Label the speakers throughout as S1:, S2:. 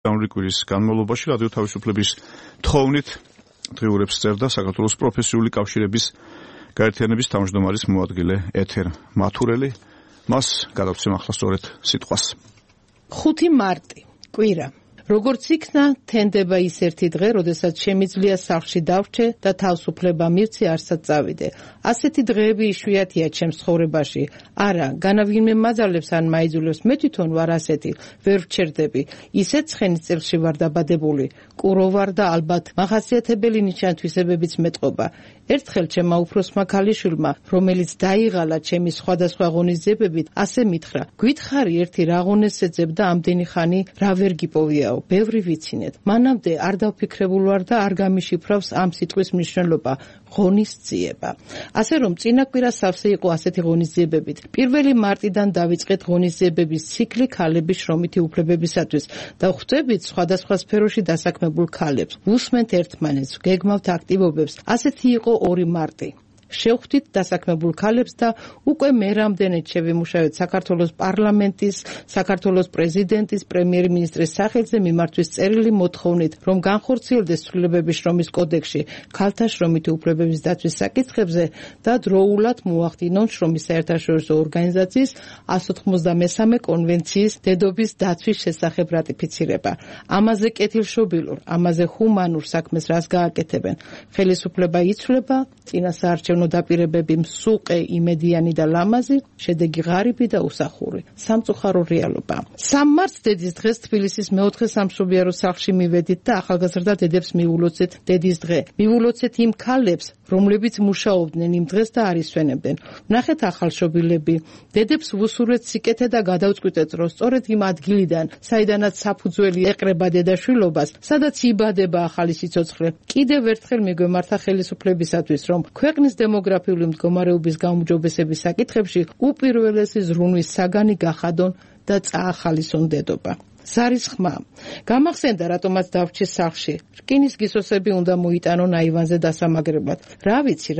S1: კვირის განმავლობაში რადიო თავისუფლების თხოვნით დღიურებს წერდა საქართველოს პროფესიული კავშირების გაერთიანების თავმჯდომარის მოადგილე ეთერ მათურელი. მას გადავცემ ახლა სწორედ სიტყვას.
S2: 5 მარტი, კვირა. როგორც იქნა, თენდება ის ერთი დღე, როდესაც შემიძლია სახლში დავრჩე და თავისუფლება მივცე, არსად წავიდე. ასეთი დღეები იშვიათია ჩემს ცხოვრებაში. არა, განავინმე მაძალებს ან მაიძულებს, მე თვითონ ვარ ასეთი, ვერ ვჩერდები. ისეთ ცხენის წელში ვარ დაბადებული. კურო ვარ და ალბათ მახასიათებელი ნიშან-თვისებებიც მეტყობა. ერთხელ ჩემმა უფროსმა ქალიშვილმა, რომელიც დაიღალა ჩემი სხვადასხვა ღონისძიებებით, ასე მითხრა: "გვითხარი ერთი რა ღონესს ეძებ და ამდენი ხანი რა ვერ გიპოვიაო, ბევრი ვიცინეთ." მანამდე არ დავფიქრებულ ვარ და არ გამიშიფრავს ამ სიტყვის მნიშვნელობა. ღონისძიება. ასე რომ წინა კვირა სავსე იყო ასეთი ღონისძიებებით. 1 მარტიდან დავიწყეთ ღონისძიებების ციკლი ქალების შრომითი უფლებებისათვის და ხვდებით სხვადასხვა სფეროში დასაქმებულ ქალებს. უსმენთ ერთმანეთს, გეგმავთ აქტივობებს. ასეთი იყო 2 მარტი. შევხვდით დასაქმებულ ქალებს და უკვე მე რამდენად შევიმუშავეთ საქართველოს პარლამენტის, საქართველოს პრეზიდენტის, პრემიერ-მინისტრის სახელზე მიმართვის წერილი მოთხოვნით, რომ განხორციელდეს ცვლილებები შრომის კოდექსში ქალთა შრომითი უფლებების დაცვის საკითხებზე და დროულად მოახდინონ შრომის საერთაშორისო ორგანიზაციის 193 კონვენციის დედობის დაცვის შესახებ რატიფიცირება. ამაზე კეთილშობილურ, ამაზე ჰუმანურ საქმეს რას გააკეთებენ? ხელისუფლება იცვლება, წინასაარჩევნო დაპირებები მსუყე, იმედიანი და ლამაზი, შედეგი ღარიბი და უსახური. სამწუხარო რეალობა. 3 მარტს დედის დღეს თბილისის მეოთხე სამშობიარო სახლში მივედით და ახალგაზრდა დედებს მიულოცეთ დედის დღე. მიულოცეთ იმ ქალებს, რომლებიც მუშაობდნენ იმ დღეს და არ ისვენებდნენ. ვნახეთ ახალშობილები, დედებს ვუსურვეთ სიკეთე და გადავწყვიტეთ, რომ სწორედ იმ ადგილიდან, საიდანაც საფუძველი ეყრება დედაშვილობას, სადაც იბადება ახალი სიცოცხლე, კიდევ ერთხელ მიგვემართა ხელისუფლებისათვის, რომ ქვეყნის დემოგრაფიული მდგომარეობის გაუმჯობესების საკითხებში უპირველესი ზრუნვის საგანი გახადონ და წაახალისონ დედობა. ზარის ხმა. გამახსენდა, რატომაც დავრჩე სახლში. რკინის გისოსები უნდა მოიტანონ აივანზე დასამაგრებლად. რა ვიცი.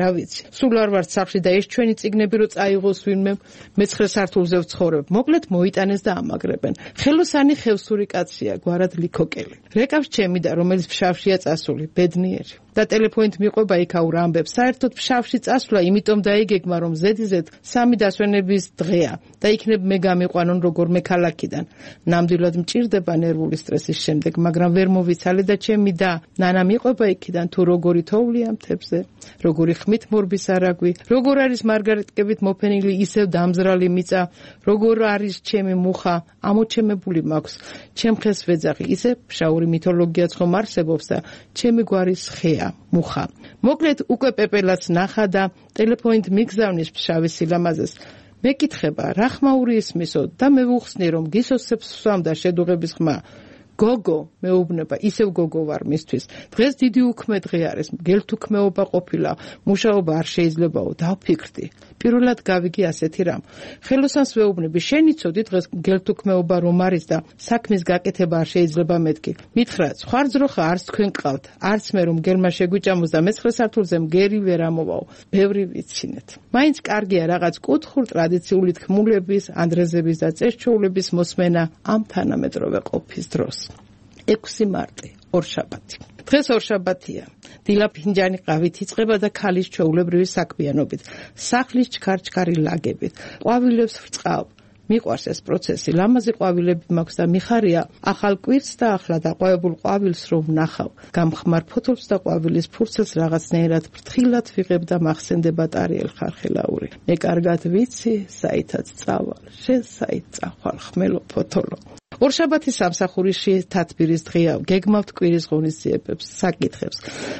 S2: სულ არ ვარ სახლში და ეს ჩვენი წიგნები რო წაიღოს ვინმე, მე-9 სართულზე ვცხოვრებ. მოკლედ მოიტანეს და ამაგრებენ. ხელოსანი ხევსური კაცია, გვარად ლიქოკელი. რეკავს ჩემი და რომელიც ფშავშია წასული, ბედნიერი. და ტელეფონით მიყვება იქაურ ამბებს. საერთოდ ფშავში წასვლა იმიტომ დაიგეგმა, რომ ზედიზედ 3 დასვენების დღეა და იქნებ მე გამიყვანონ როგორმე ქალაქიდან. ნამდვილად მჭირდება ნერვული სტრესის შემდეგ, მაგრამ ვერ მოვიცალე და ჩემი და ნანა მიყვება იქიდან თუ როგორი თოვლია მთებზე, როგორი ხმით მორბის არაგვი, როგორ არის მარგარიტკებით მოფენილი ისევ დამზრალი მიწა, როგორ არის ჩემი მუხა, ამოჩემებული მაქვს, ჩემ ხეს ვეძახი, ისე ფშაური მითოლოგიაც ხომ არსებობს და ჩემი გვარის ხეა, მუხა. მოკლედ უკვე პეპელაც ნახა და ტელეფონით მიგზავნის ფშავის სილამაზეს. მეკითხება, რა ხმაური ისმისო და მე ვუხსნი, რომ გისოსებს ვსვამდა შედუღების ხმა. გოგო, მეუბნება, ისევ გოგო ვარ მისთვის. დღეს დიდი უქმე დღე არის, გელთუქმეობა ყოფილა, მუშაობა არ შეიძლებაო, დავფიქრდი. პირველად გავიგე ასეთი რამ. ხელოსანს ვეუბნები, შენი ცოდი დღეს გელთუქმეობა რომ არის და საქმის გაკეთება არ შეიძლება მეთქი. მითხრა, სხვა ძროხა არც თქვენ ყავთ, არც მე რომ გელმა შეგვიჭამოს და მე-9 სართულზე მგერი ვერ ამოვაო. ბევრი ვიცინეთ. მაინც კარგია რაღაც კუთხურ ტრადიციული თქმულების, ანდრეზების და წესჩოულების მოსმენა ამ თანამედროვე ყოფის დროს. 6 მარტი, ორშაბათი. დღეს ორშაბათია. დილა ფინჯანი ყავით იწყება და ქალის ჩვეულებრივი საქმიანობით, სახლის ჩქარ-ჩქარი ლაგებით, ყვავილებს ვრწყავ. მიყვარს ეს პროცესი, ლამაზი ყვავილები მაქვს და მიხარია ახალ კვირს და ახლა დაყვავებულ ყვავილს რომ ვნახავ. გამხმარ ფოთოლს და ყვავილის ფურცელს რაღაცნაირად ფრთხილად ვიღებ და მახსენდება ტარიელ ხარხელაური. მე კარგად ვიცი, საითაც წავალ, შენ საით წახვალ ხმელო ფოთოლო. ორშაბათი სამსახურში თათბირის დღეა, გეგმავთ კვირის ღონისძიებებს, საკითხებს.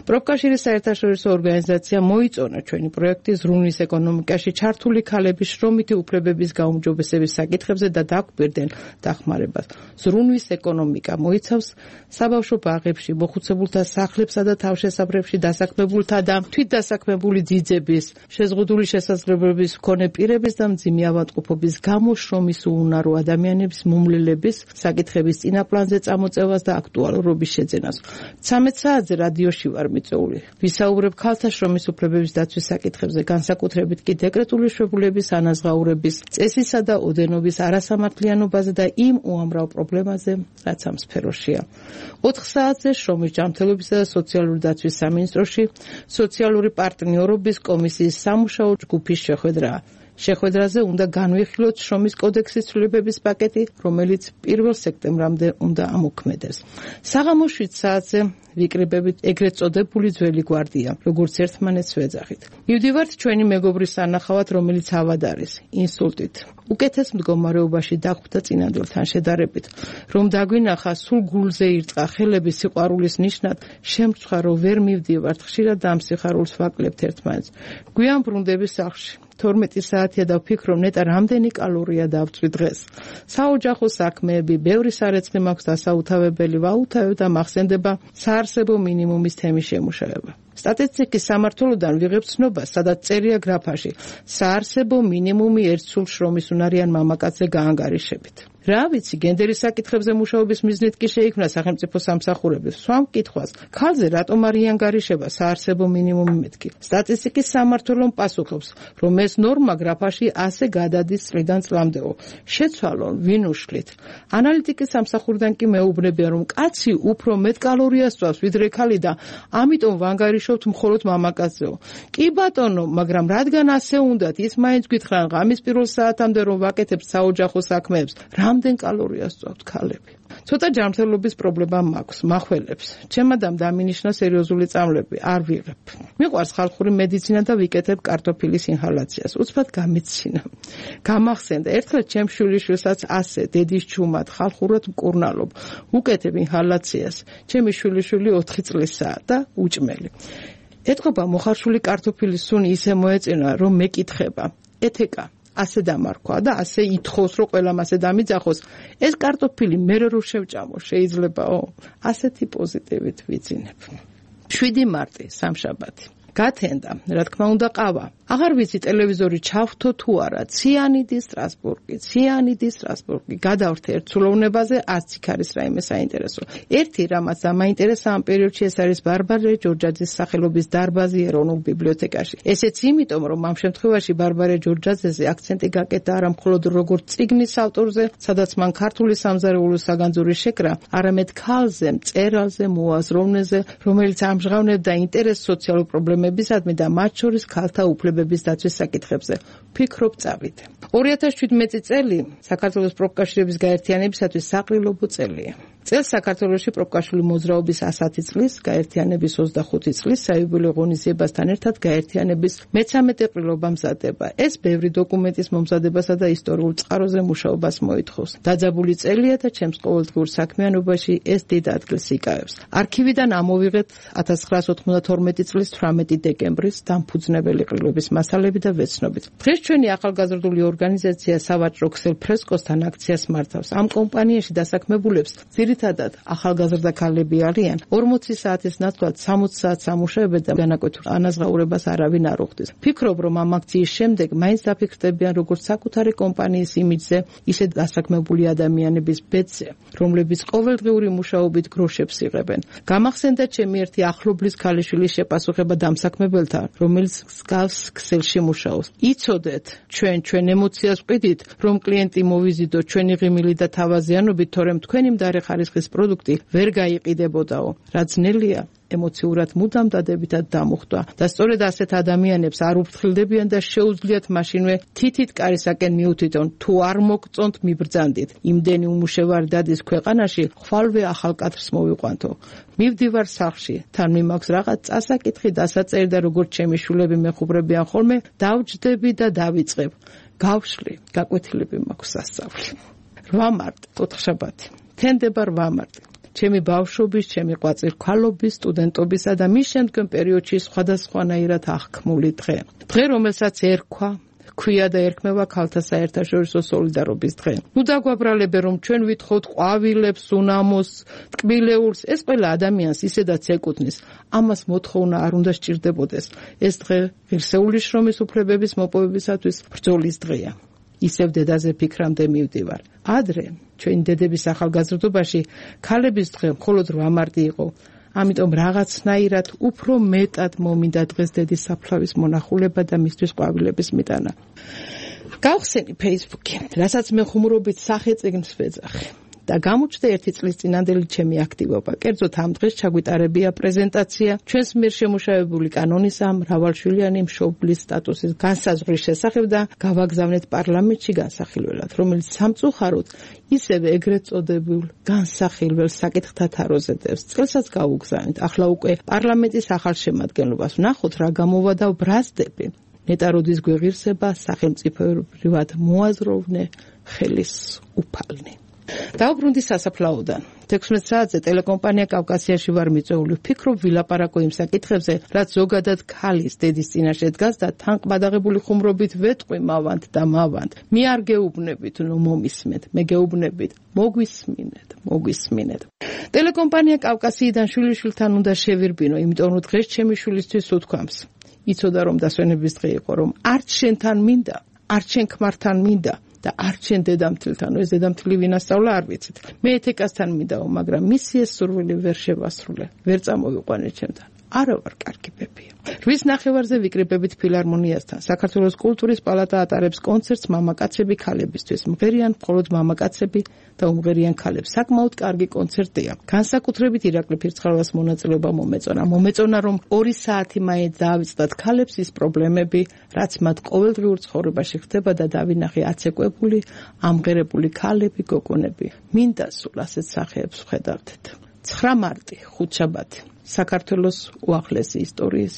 S2: პროფკავშირის საერთაშორისო ორგანიზაცია მოიწონა ჩვენი პროექტი ზრუნვის ეკონომიკაში ჩართული ქალების შრომითი უფლებების გაუმჯობესების საკითხებზე და დაგვირდნენ დახმარებას. ზრუნვის ეკონომიკა მოიცავს საბავშვო ბაღებში, მოხუცებულთა სახლებსა და თავშესაფრებში დასაქმებულთა და თვითდასაქმებული ძიძების, შეზღუდული შესაძლებლობების მქონე პირების და მძიმე ავადმყოფობის გამო შრომის უუნარო ადამიანების, მომლელების საკითხების წინაპლანზე წამოწევას და აქტუალურობის შეძენას. 13 საათზე რადიოში ვარ მიწვეული. ვისაუბრებ ქალთა შრომის უფლებების დაცვის საკითხებზე, განსაკუთრებით კი დეკრეტული შვებულების ანაზღაურების, წესისა და ოდენობის არასამართლიანობაზე და იმ უამრავ პრობლემაზე, რაც ამ სფეროშია. 4 საათზე შრომის ჯანმრთელობისა და სოციალური დაცვის სამინისტროში სოციალური პარტნიორობის კომისიის სამუშაო ჯგუფის შეხვედრა. შეხვედრაზე უნდა განვიხილოთ შრომის კოდექსის ცვლილებების პაკეტი, რომელიც 1 სექტემბრამდე უნდა ამოქმედდეს. საღამოს 7 საათზე ვიკრიბებით ეგრეთ წოდებული ძველი გვარდია, როგორც ერთმანეთს ვეძახით. მივდივართ ჩვენი მეგობრის სანახავად, რომელიც ავად არის, ინსულტით. უკეთეს მდგომარეობაში დახვდა წინანდელთან შედარებით. რომ დაგვინახა, სულ გულზე ირტყა ხელების სიყვარულის ნიშნად, შემწვა, რომ ვერ მივდივართ, ხშირად და ამ სიხარულს ვაკლებთ ერთმანეთს. გვიან ბრუნდები სახლში. 12 საათია და ვფიქრობ, ნეტა რამდენი კალორია დავწვი დღეს. საოჯახო საქმეები, ბევრი სარეცხი მაქვს დასაუთავებელი, ვაუთავებ და მახსენდება საარსებო მინიმუმის თემის შემუშავება. სტატისტიკის სამმართველოდან ვიღებ ცნობას, სადაც წერია გრაფაში, საარსებო მინიმუმი ერთ სულ შრომის უნარიან მამაკაცზე გაანგარიშებით. რა ვიცი, გენდერის საკითხებზე მუშაობის მიზნით კი შეიქმნა სახელმწიფო სამსახურების. სვამ კითხვას, ქალზე რატომ არ იანგარიშება საარსებო მინიმუმი მეთქი? სტატისტიკის სამმართველომ პასუხობს, რომ ეს ნორმა გრაფაში ასე გადადის წლიდან წლამდეო. შეცვალონ, ვინ უშლით. ანალიტიკის სამსახურიდან კი მეუბნებია, რომ კაცი უფრო მეტ კალორიას წვავს, ვიდრე ქალი და ამიტომ ვანგარიშობთ მხოლოდ მამაკაცზეო. კი ბატონო, მაგრამ რადგან ასე უნდათ, ის მაინც გითხრან ღამის პირველ საათამდე რომ ვაკეთებთ საოჯახო საქმეებს. რამდენ კალორიას წვავთ ქალები? ცოტა ჯანმრთელობის პრობლემა მაქვს, მახველებს. ჩემადამ დამინიშნა სერიოზული წამლები, არ ვიღებ. მიყვარს ხალხური მედიცინა და ვიკეთებ კარტოფილის ინჰალაციას. უცბად გამეცინა. გამახსენდა, ერთხელ ჩემ შვილიშვილსაც ასე, დედის ჩუმად, ხალხურად მკურნალობ. უკეთებ ინჰალაციას. ჩემი შვილიშვილი 4 წლისაა და უჭმელი. ეთყობა მოხარშული კარტოფილის სუნი ისე მოეწინა, რომ მეკითხება. ეთეკა ასე დამარქვა და ასე ითხოვს, რომ ყველამ ასე დამიძახოს. ეს კარტოფილი მერე რო შევჭამო, შეიძლებაო? ასეთი პოზიტივით ვიძინებ. 7 მარტი, სამშაბათი. გათენდა, რა თქმა უნდა, ყავა. აღარ ვიცი ტელევიზორი ჩავთო თუ არა, ციანიდი სტრასბურგი. გადავრთ ერთ ცულოვნებაზე, არც იქ არის რაიმე საინტერესო. ერთი რამაც დამაინტერესა ამ პერიოდში, ეს არის ბარბარე ჯორჯაძის სახელობის დარბაზი ეროვნულ ბიბლიოთეკაში. ესეც იმიტომ, რომ ამ შემთხვევაში ბარბარე ჯორჯაძეზე აქცენტი გაკეტა არა მხოლოდ როგორც წიგნის ავტორზე, სადაც მან ქართული სამზარეულოს საგანძური შეკრა, არამედ ქალზე, მწერალზე, მოაზროვნეზე, რომელიც ამჟღავნებდა ინტერესს სოციალურ პრობლემებისადმი და მათ შორის ქალთა უფლებების დაცვის საკითხებზე. ფიქრობ წავიდე. 2017 წელი საქართველოს პროფკავშირების გაერთიანებისათვის საყრილობო წელია. წელს საქართველოში პროფკავშირული მოძრაობის 110 წლის, გაერთიანების 25 წლის საიუბილეო ღონისძიებასთან ერთად გაერთიანების მე-13 ყრილობა მზადდება. ეს ბევრი დოკუმენტის მომზადებასა და ისტორიულ წყაროზე მუშაობას მოითხოვს. დაძაბული წელია და ჩემს ყოველდღიურ საქმიანობაში ეს დიდ ადგილს იკავებს. არქივიდან ამოვიღეთ 1992 წლის 18 დეკემბრის დამფუძნებელი ყრილობის მასალები და ვეცნობით. დღეს ჩვენი ახალგაზრდული ორგანიზაცია სავაჭრო ქსელ ფრესკოსთან აქციას მართავს. ამ კომპანიაში დასაქმებულებს ძირითადად ახალგაზრდა ქალები არიან. 40 საათის ნაცვლად 60 საათს ამუშავებენ და განაკვეთურ ანაზღაურებას არავინ არ უხდის. ფიქრობ, რომ ამ აქციის შემდეგ მაინც დაფიქრდებიან როგორც საკუთარი კომპანიის იმიჯზე, ისე დასაქმებული ადამიანების ბედზე, რომლებიც ყოველდღიური მუშაობით გროშებს იღებენ. გამახსენდა ჩემი ერთი ახლობლის ქალიშვილის შეპასუხება დამსაქმებელთან, რომელიც მსგავს ქსელში მუშაობს. იცოდეთ, ჩვენ ემოციას ვყიდით, რომ კლიენტი მოვიზიდოთ ჩვენი ღიმილი და თავაზიანობით, თორემ თქვენი მდარე ხარისხის პროდუქტი ვერ გაიყიდებოდაო. რა ძნელია, ემოციურად მუდამ დადებითად დამუხტვა და სწორედ ასეთ ადამიანებს არ უფრთხილდებიან და შეუძლიათ მაშინვე თითით კარისაკენ მიუთითონ, თუ არ მოგწონთ მიბრძანდით. იმდენი უმუშევარი დადის ქვეყანაში, ხვალვე ახალ კადრს მოვიყვანთო. მივდივარ სახლში, თან მიმაქვს რაღაც წასაკითხი, დასაწერი და როგორც ჩემი შვილები მეხუბრებიან ხოლმე, დავჯდები და დავიწყებ. გავშლი, გაკვეთილები მაქვს სასწავლი. 8 მარტი, 4 შაბათი. თენდება 8 მარტი. ჩემი ბავშვობის, ჩემი ყვაწիր ქალობის, სტუდენტობისა და მის შემდგომ პერიოდში სხვადასხვანაირად აღქმული დღე. დღე, რომელსაც ქვია და ერქმევა ქალთა საერთაშორისო სოლიდარობის დღე. ნუ დაგვაბრალებენ, რომ ჩვენ ვითხოვთ ყვავილებს, უნამოს, ტკბილეულს, ეს ყველა ადამიანს ისედაც ეკუთვნის. ამას მოთხოვნა არ უნდა სჭირდებოდეს. ეს დღე ღირსეული შრომის უფლებების მოპოვებისათვის ბრძოლის დღეა. ისევ დედაზე ფიქრამდე მივდივარ. ადრე ჩვენი დედების ახალგაზრდობაში ქალების დღე მხოლოდ 8 მარტი იყო. ამიტომ რაღაცნაირად უფრო მეტად მომინდა დღეს დედის საფლავის მონახულება და მისთვის ყვავილების მიტანა. გავხსენი Facebook-ი, რასაც მე ხუმრობით სახელწიგნს ვეძახი. და გამოჩნდა 1 წლის წინანდელი ჩემი აქტივობა. კერძოდ ამ დღეს ჩაგვიტარებია პრეზენტაცია ჩვენს მიერ შემუშავებული კანონისა მრავალშვილიანი მშობლის სტატუსის განსაზღვრის შესახებ და გავაგზავნეთ პარლამენტში განსახილველად, რომელიც სამწუხაროდ ისევე ეგრეთ წოდებულ განსახილველ საკითხთა თაროზე დევს. წელსაც გავუგზავნით. ახლა უკვე პარლამენტის ახალ შემადგენლობას ვნახოთ რა გამოვა და ბრაზდები. ნეტაროდის გვეღირსება სახელმწიფოებრივად მოაზროვნე ხელის უფალნი. დავბრუნდი სასაფლაოდან. 16 საათზე ტელეკომპანია კავკასიაში ვარ მიწვეული. ვფიქრობ ვილაპარაკო იმ საკითხებზე, რაც ზოგადად ქალის დედის წინაშე დგას და თან ყბადაღებული ხუმრობით ვეტყვი მავანთ და მავანთ. მე არ გეუბნებით, ნუ მომისმენთ, მე გეუბნებით, მოგვისმინეთ. ტელეკომპანია კავკასიიდან შვილიშვილთან უნდა შევირბინო, იმიტომ რომ დღეს ჩემი შვილისთვის უთქვამს. იცოდა რომ დასვენების დღე იყო, რომ არც შენთან მინდა, არც შენ ქმართან მინდა. და არ ჩვენ დედამთილთან, ეს დედამთილი ვინასწავლა არ ვიცით. მე ეთიკასთან მინდაო, მაგრამ მისი ეს სურვილი ვერ შევასრულე, ვერ წამოვიყვანე ჩემთან. არა ვარ კარგი ბებია. 8 ნახევარზე ვიკრიბებით ფილარმონიასთან. საქართველოს კულტურის პალატა ატარებს კონცერტს მამაკაცები ქალებისთვის. მღერიან მხოლოდ მამაკაცები და უმღერიან ქალებს. საკმაოდ კარგი კონცერტია. განსაკუთრებით ირაკლი ფირცხალას მონაწილეობა მომეწონა, რომ 2 საათი მაინც დაავიწყდათ ქალებს ის პრობლემები, რაც მათ ყოველდღიურ ცხოვრებაში ხდება და დავინახე აცეკვებული, ამღერებული ქალები, გოგონები. მინდა სულ ასეთ სახეებს ვხედავდეთ. 9 მარტი, ხუთშაბათი. საქართველოს უახლესი ისტორიის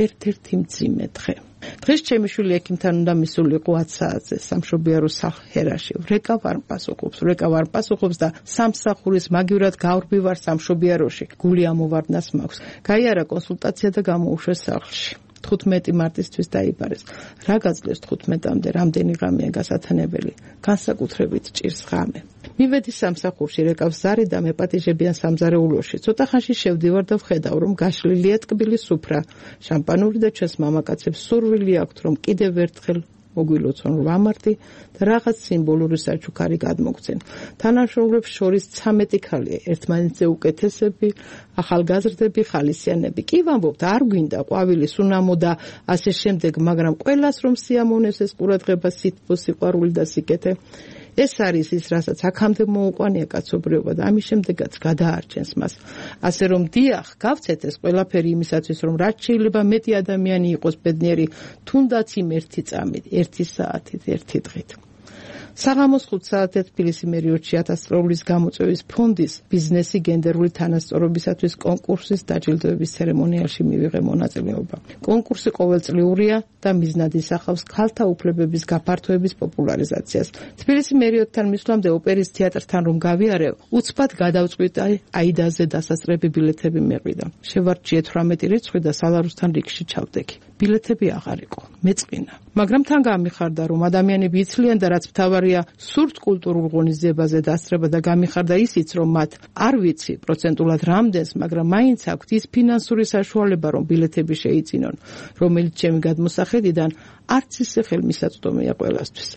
S2: ერთ-ერთი მძიმე დღე. დღეს ჩემი შვილი ექიმთან უნდა მისულიყო 10 საათზე სამშობიარო სახლ-ჰერაში. ვრეკა ვარ მპასუხობს და სამსახურის მაგივრად გავრბი ვარ სამშობიაროში. გული ამოვარდნას მაქვს. გაიარა კონსულტაცია და გამოუშვეს სახლში. 15 მარტისთვის დაიბარეს. რა გაძლევს 15-მდე, რამდენი ღამეა გასათანებელი, განსაკუთრებით ჭირს ღამე. მივედი სამსახურში, რეკავს ზარი და მეპატიჟებიან სამზარეულოში. ცოტა ხანში შევდივარ და ვხედავ, რომ გაშლილია ტკბილი სუფრა, შამპანური და ჩვენს მამაკაცებს სურვილი აქვთ, რომ კიდევ ერთხელ მოგვილოცონ 8 მარტი და რაღაც სიმბოლური საჩუქარი გადმოგცენ. თანამშრომლებს შორის 13 ქალია, ერთმანეთზე უკეთესები, ახალგაზრდები, ხალისიანები. კი ვამბობთ, არ გვინდა ყვავილი, სუნამო და ასე შემდეგ, მაგრამ ყველას რომ სიამოვნებს ეს ყურადღება, სითბო, სიყვარული და სიკეთე. ეს არის ის, რასაც აქამდე მოუყვანია კაცობრიობა და ამის შემდეგაც გადაარჩენს მას. ასე რომ დიახ, გავცეთ ეს ყველაფერი იმისათვის, რომ რაც შეიძლება მეტი ადამიანი იყოს ბედნიერი, თუნდაც იმ 1 წამით, 1 საათით, 1 დღით. საღამოს 5 საათზე თბილისი მერიოტში 1000 რუბლის გამოწვევის ფონდის ბიზნესი გენდერული თანასწორობისათვის კონკურსის დაჯილდოების ცერემონიალში მივიღე მონაწილეობა. კონკურსი ყოველწლიურია და მიზნად ისახავს ქალთა უფლებების გაფართოების პოპულარიზაციას. თბილისი მერიოტთან მისვლამდე ოპერის თეატრთან რომ გავიარე, უცბად გადავწყვიტე აიდაზე დასასწრები ბილეთები მეყვიდა. შევარჩიე 18 რიცხვი და სალაროსთან რიგში ჩავდექი. ბილეთები აღარ იყო, მეწყინა. მაგრამ თან გამიხარდა, რომ ადამიანები იცლიან და რაც მთავარია, სურთ კულტურულ ღონისძიებაზე დასწრება და გამიხარდა ისიც, რომ მათ არ ვიცი პროცენტულად რამდენს, მაგრამ მაინც აქვთ ის ფინანსური საშუალება, რომ ბილეთები შეიწინონ, რომელიც ჩემი გადმოსახედიდან არც ისე ხელმისაწვდომია ყველასთვის.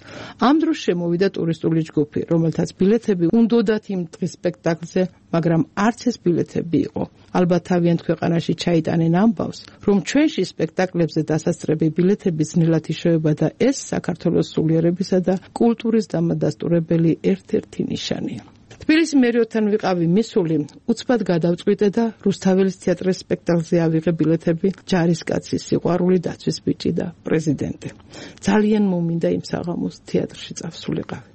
S2: ამ დროს შემოვიდა ტურისტული ჯგუფი, რომელთაც ბილეთები უნდოდათ იმ დღის სპექტაკლზე, მაგრამ არც ეს ბილეთები იყო. ალბათ თავიანთ ქვეყანაში ჩაიტანენ ამბავს, რომ ჩვენში სპექტაკლებზე დასასწრები ბილეთები ძნელად იშოვება და ეს საქართველოს სულიერებისა და კულტურის დამადასტურებელი ერთ-ერთი ნიშანია. თბილისი მერიოტთან ვიყავი მისული, უცბად გადავწყვიტე და რუსთაველის თეატრის სპექტაკლზე ავიღე ბილეთები, ჯარისკაცი, სიყვარული, დაცვის ბიჭი და პრეზიდენტი. ძალიან მომინდა იმ საღამოს თეატრში წავსულიყავი.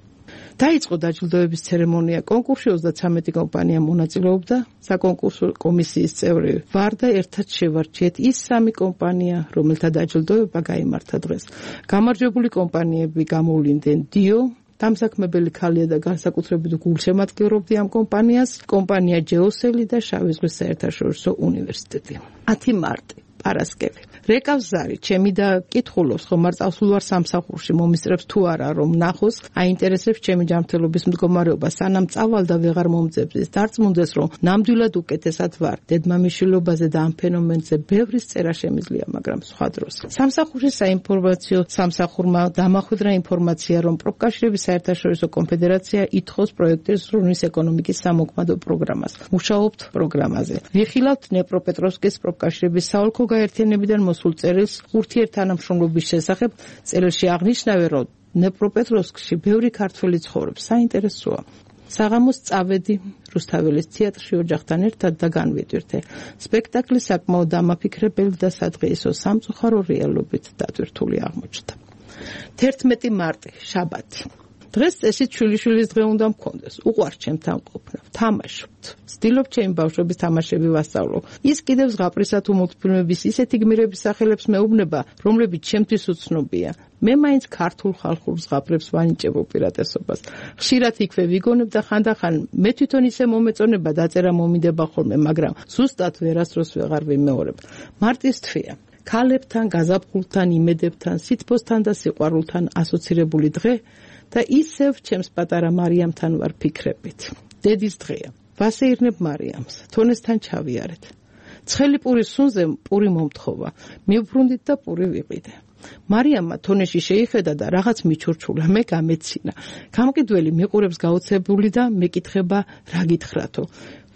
S2: დაიწყო დაჯილდოების ცერემონია. კონკურსში 33 კომპანია მონაწილეობდა. საკონკურსო კომისიის წევრი ვარ და ერთად შევარჩიეთ ის 3 კომპანია, რომელთა დაჯილდოება გაიმართა დღეს. გამარჯვებული კომპანიები გამოვლინდნენ დიო, დამსაქმებელი ქალია და განსაკუთრებით გულშემატკივრობდი ამ კომპანიას, კომპანია ჯეოსელი და შავი ზღვის საერთაშორისო უნივერსიტეტი. 10 მარტი. პარასკევი. რეკავს ზარი, ჩემი და კითხულობს, ხომ არ წავსულ ვარ სამსახურში, მომისწრებს თუ არა რომ ნახოს, აინტერესებს ჩემი ჯანმრთელობის მდგომარეობა, სანამ წავალ და ვეღარ მომძებნის. დარწმუნდეს, რომ ნამდვილად უკეთესად ვარ. დედმამიშვილობაზე და ამ ფენომენზე ბევრის წერა შემიძლია, მაგრამ სხვა დროს. სამსახურში საინფორმაციო სამსახურმა დამახვედრა ინფორმაცია, რომ პროფკავშირების საერთაშორისო კონფედერაცია ითხოვს პროექტის ზრუნვის ეკონომიკის სამოქმედო პროგრამას. მუშაობთ პროგრამაზე. ვიხილავთ დნეპროპეტროვსკის პროფკავშირების საოლქო გაერთიანებიდან მოსულ წერილს ურთიერთთანამშრომლობის შესახებ. წერილში აღნიშნავენ, რომ დნეპროპეტროვსკში ბევრი ქართველი ცხოვრობს. საინტერესოა. საღამოს წავედი რუსთაველის თეატრში ოჯახთან ერთად და განვიდვირთე. სპექტაკლი საკმაოდ დამაფიქრებელი და სადღეისო სამწუხარო რეალობით დატვირთული აღმოჩნდა. 11 მარტი, შაბათი. დღეს წესით შვილიშვილის დღე უნდა მქონდეს. უყვარს ჩემთან ყოფნა. თამაშობთ. ვცდილობ ჩემი ბავშვების თამაშები ვასწავლო. ის კიდევ ზღაპრისა თუ მულტფილმების ისეთი გმირების სახელებს მეუბნება, რომლებიც ჩემთვის უცნობია. მე მაინც ქართულ ხალხურ ზღაპრებს ვანიჭებ უპირატესობას. ხშირად იქვე ვიგონებ და ხანდახან მე თვითონ ისე მომეწონება დაწერა მომიდება ხოლმე, მაგრამ ზუსტად ვერასდროს ვეღარ ვიმეორებ. მარტის თვეა. ქალებთან, გაზაფხულთან, იმედებთან, სითბოსთან და სიყვარულთან ასოცირებული დღე და ისევ ჩემს პატარა მარიამთან ვარ ფიქრებით. დედის დღეა. ვასეირნებ მარიამს. თონესთან ჩავიარეთ. ცხელი პურის სუნზე პური მომთხოვა. მივბრუნდით და პური ვიყიდე. მარიამმა თონეში შეიხედა და რაღაც მიჩურჩულა, მე გამეცინა. გამყიდველი მიყურებს გაოცებული და მეკითხება რა გითხრათო.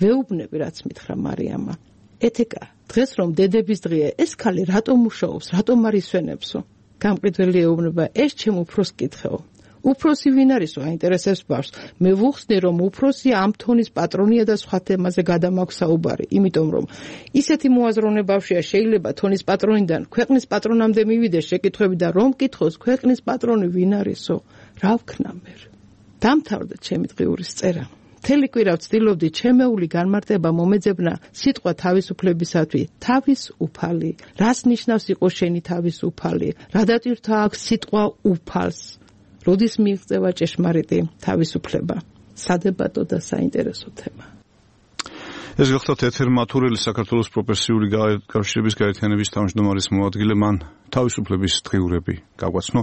S2: ვეუბნები რაც მითხრა მარიამმა. ეთეკა, დღეს რომ დედების დღეა, ეს ქალი რატომ მუშაობს, რატომ არ ისვენებსო? გამყიდველი ეუბნება, ეს ჩემ უფროს კითხეო. უფროსი ვინ არისო, აინტერესებს ბავშვს. მე ვუხსნი, რომ უფროსი ამ თონის პატრონია და სხვა თემაზე გადამაქვს საუბარი, იმიტომ რომ ისეთი მოაზროვნე ბავშვია შეიძლება თონის პატრონიდან ქვეყნის პატრონამდე მივიდეს შეკითხვები და რომ კითხოს ქვეყნის პატრონი ვინ არისო, რა ვქნა მე. დამთავრდა ჩემი დღიურის წერა. მთელი კვირა ვცდილობდი ჩემეული განმარტება მომეძებნა სიტყვა თავისუფლებისათვის, თავისუფალი. რას ნიშნავს იყო შენი თავისუფალი? რა დატვირთვა აქვს სიტყვა უფალს? როდის მიიღწევა ჭეშმარიტი თავისუფლება? სადებატო და საინტერესო თემა.
S1: ეს გახლავთ ეთერ მათურელი, საქართველოს პროფესიული კავშირების გაერთიანების თავმჯდომარის მოადგილე, მან თავისუფლების დღიურები გაგვაცნო.